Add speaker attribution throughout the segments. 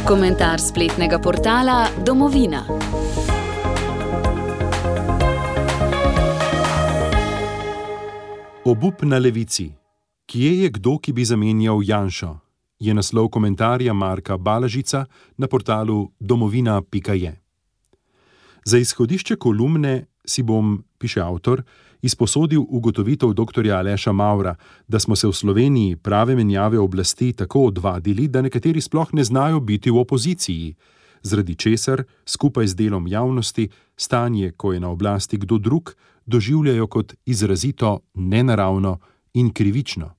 Speaker 1: Komentar spletnega portala Domovina.
Speaker 2: Obup na levici. Kje je kdo, ki bi zamenjal Janšo? Je naslov komentarja Marka Balažica na portalu domovina.je. Za izhodišče kolumne si bom, piše avtor, izposodil ugotovitev dr. Aleša Mavra, da smo se v Sloveniji prave menjave oblasti tako odvadili, da nekateri sploh ne znajo biti v opoziciji, zaradi česar, skupaj z delom javnosti, stanje, ko je na oblasti kdo drug, doživljajo kot izrazito nenaravno in krivično.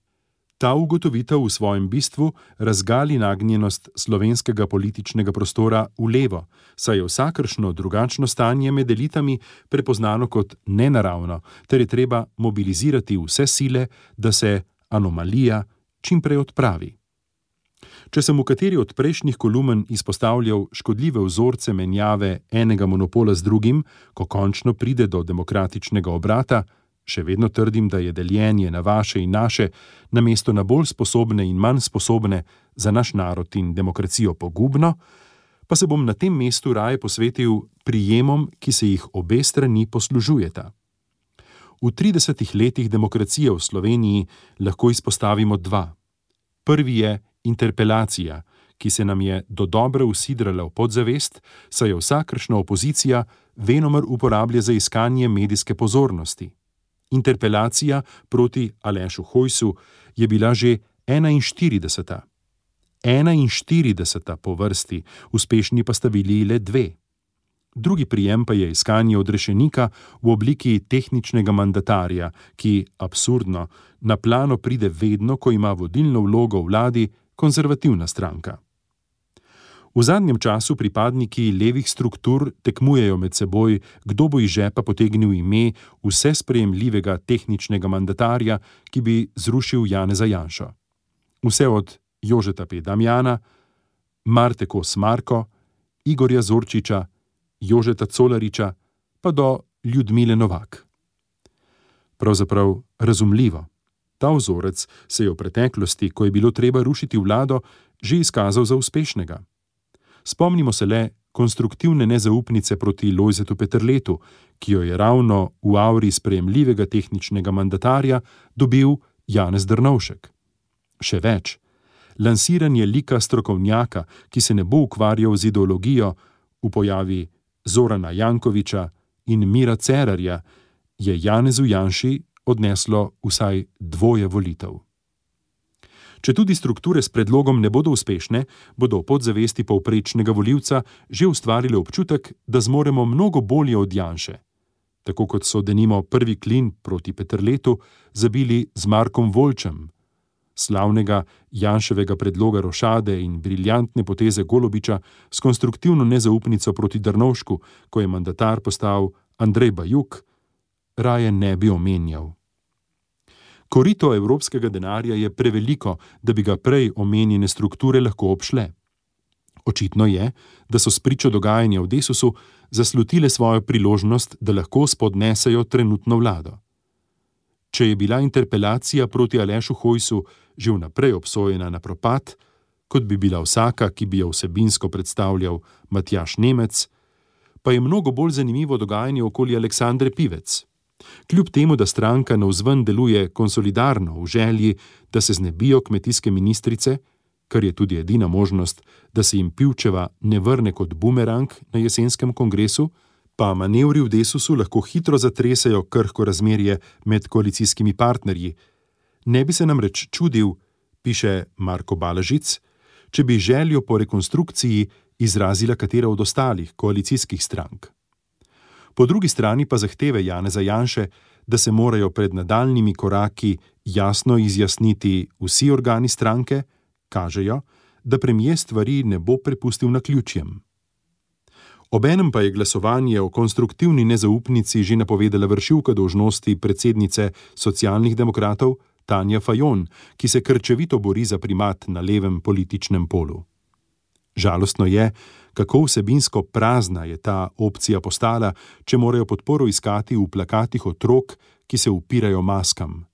Speaker 2: Ta ugotovitev v svojem bistvu razgali nagnjenost slovenskega političnega prostora v levo, saj je vsakršno drugačno stanje med elitami prepoznano kot nenaravno, ter je treba mobilizirati vse sile, da se anomalija čim prej odpravi. Če sem v kateri od prejšnjih kolumen izpostavljal škodljive vzorce menjave enega monopola z drugim, ko končno pride do demokratičnega obrata, še vedno trdim, da je deljenje na vaše in naše, namesto na bolj sposobne in manj sposobne, za naš narod in demokracijo pogubno, pa se bom na tem mestu raje posvetil prijemom, ki se jih obe strani poslužujeta. V 30 letih demokracije v Sloveniji lahko izpostavimo dva. Prvi je interpelacija, ki se nam je dodobra usidrala v podzavest, saj jo vsakršna opozicija venomer uporablja za iskanje medijske pozornosti. Interpelacija proti Alešu Hojsu je bila že 41. 41. po vrsti, uspešni pa sta bili le dve. Drugi prijem pa je iskanje odrešenika v obliki tehničnega mandatarja, ki, absurdno, na plano pride vedno, ko ima vodilno vlogo v vladi konzervativna stranka. V zadnjem času pripadniki levih struktur tekmujejo med seboj, kdo bo iz žepa potegnil ime vse sprejemljivega tehničnega mandatarja, ki bi zrušil Janeza Janšo. Vse od Jožeta P. Damjana, Marte Kos Marko, Igorja Zorčiča, Jožeta Colariča, pa do Ljudmile Novak. Pravzaprav razumljivo. Ta vzorec se je v preteklosti, ko je bilo treba rušiti vlado, že izkazal za uspešnega. Spomnimo se le konstruktivne nezaupnice proti Lojzetu Peterletu, ki jo je ravno v auri sprejemljivega tehničnega mandatarja dobil Janez Drnovšek. Še več, lansiranje lika strokovnjaka, ki se ne bo ukvarjal z ideologijo, v pojavi Zorana Jankovića in Mira Cerarja, je Janezu Janši odneslo vsaj 2 volitev. Če tudi strukture s predlogom ne bodo uspešne, bodo v podzavesti povprečnega volivca že ustvarile občutek, da zmoremo mnogo bolje od Janše. Tako kot so denimo prvi klin proti Peterletu zabili z Markom Voljčem. Slavnega Janševega predloga rošade in briljantne poteze Golobiča s konstruktivno nezaupnico proti Drnovšku, ko je mandatar postal Andrej Bajuk, raje ne bi omenjal. Korito evropskega denarja je preveliko, da bi ga prej omenjene strukture lahko obšle. Očitno je, da so spričo dogajanja v Desusu zaslutile svojo priložnost, da lahko spodnesejo trenutno vlado. Če je bila interpelacija proti Alešu Hojsu že vnaprej obsojena na propad, kot bi bila vsaka, ki bi jo vsebinsko predstavljal Matjaž Nemec, pa je mnogo bolj zanimivo dogajanje okoli Aleksandre Pivec. Kljub temu, da stranka navzven deluje konsolidarno v želji, da se znebijo kmetijske ministrice, kar je tudi edina možnost, da se jim Pivčeva ne vrne kot bumerang na jesenskem kongresu, pa manevri v Desusu lahko hitro zatresejo krhko razmerje med koalicijskimi partnerji. Ne bi se namreč čudil, piše Marko Balažic, če bi željo po rekonstrukciji izrazila katera od ostalih koalicijskih strank. Po drugi strani pa zahteve Janeza Janše, da se morajo pred nadaljnjimi koraki jasno izjasniti vsi organi stranke, kažejo, da premier stvari ne bo prepustil naključjem. Obenem pa je glasovanje o konstruktivni nezaupnici že napovedala vršilka dolžnosti predsednice Socialnih demokratov Tanja Fajon, ki se krčevito bori za primat na levem političnem polu. Žalostno je, kako vsebinsko prazna je ta opcija postala, če morajo podporo iskati v plakatih otrok, ki se upirajo maskam.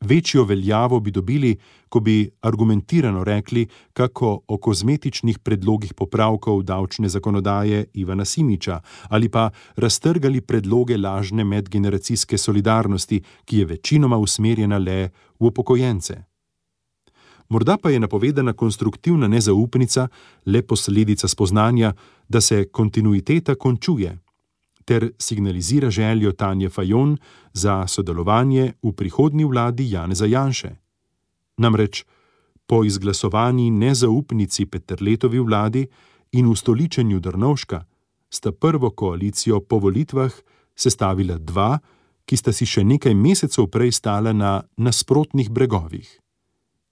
Speaker 2: Večjo veljavo bi dobili, ko bi argumentirano rekli, kako o kozmetičnih predlogih popravkov davčne zakonodaje Ivana Simiča ali pa raztrgali predloge lažne medgeneracijske solidarnosti, ki je večinoma usmerjena le v upokojence. Morda pa je napovedana konstruktivna nezaupnica le posledica spoznanja, da se kontinuiteta končuje, ter signalizira željo Tanje Fajon za sodelovanje v prihodnji vladi Janeza Janše. Namreč, po izglasovani nezaupnici Peterletovi vladi in ustoličenju Drnovška sta prvo koalicijo po volitvah sestavila dva, ki sta si še nekaj mesecev prej stala na nasprotnih bregovih: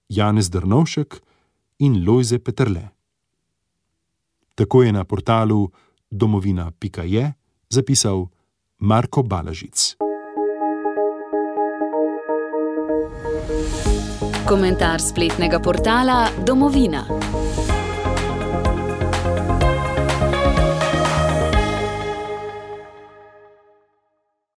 Speaker 2: Janez Drnovšek in Lojze Peterle. Tako je na portalu domovina.je zapisal Marko Balažic.
Speaker 1: Komentar spletnega portala Domovina.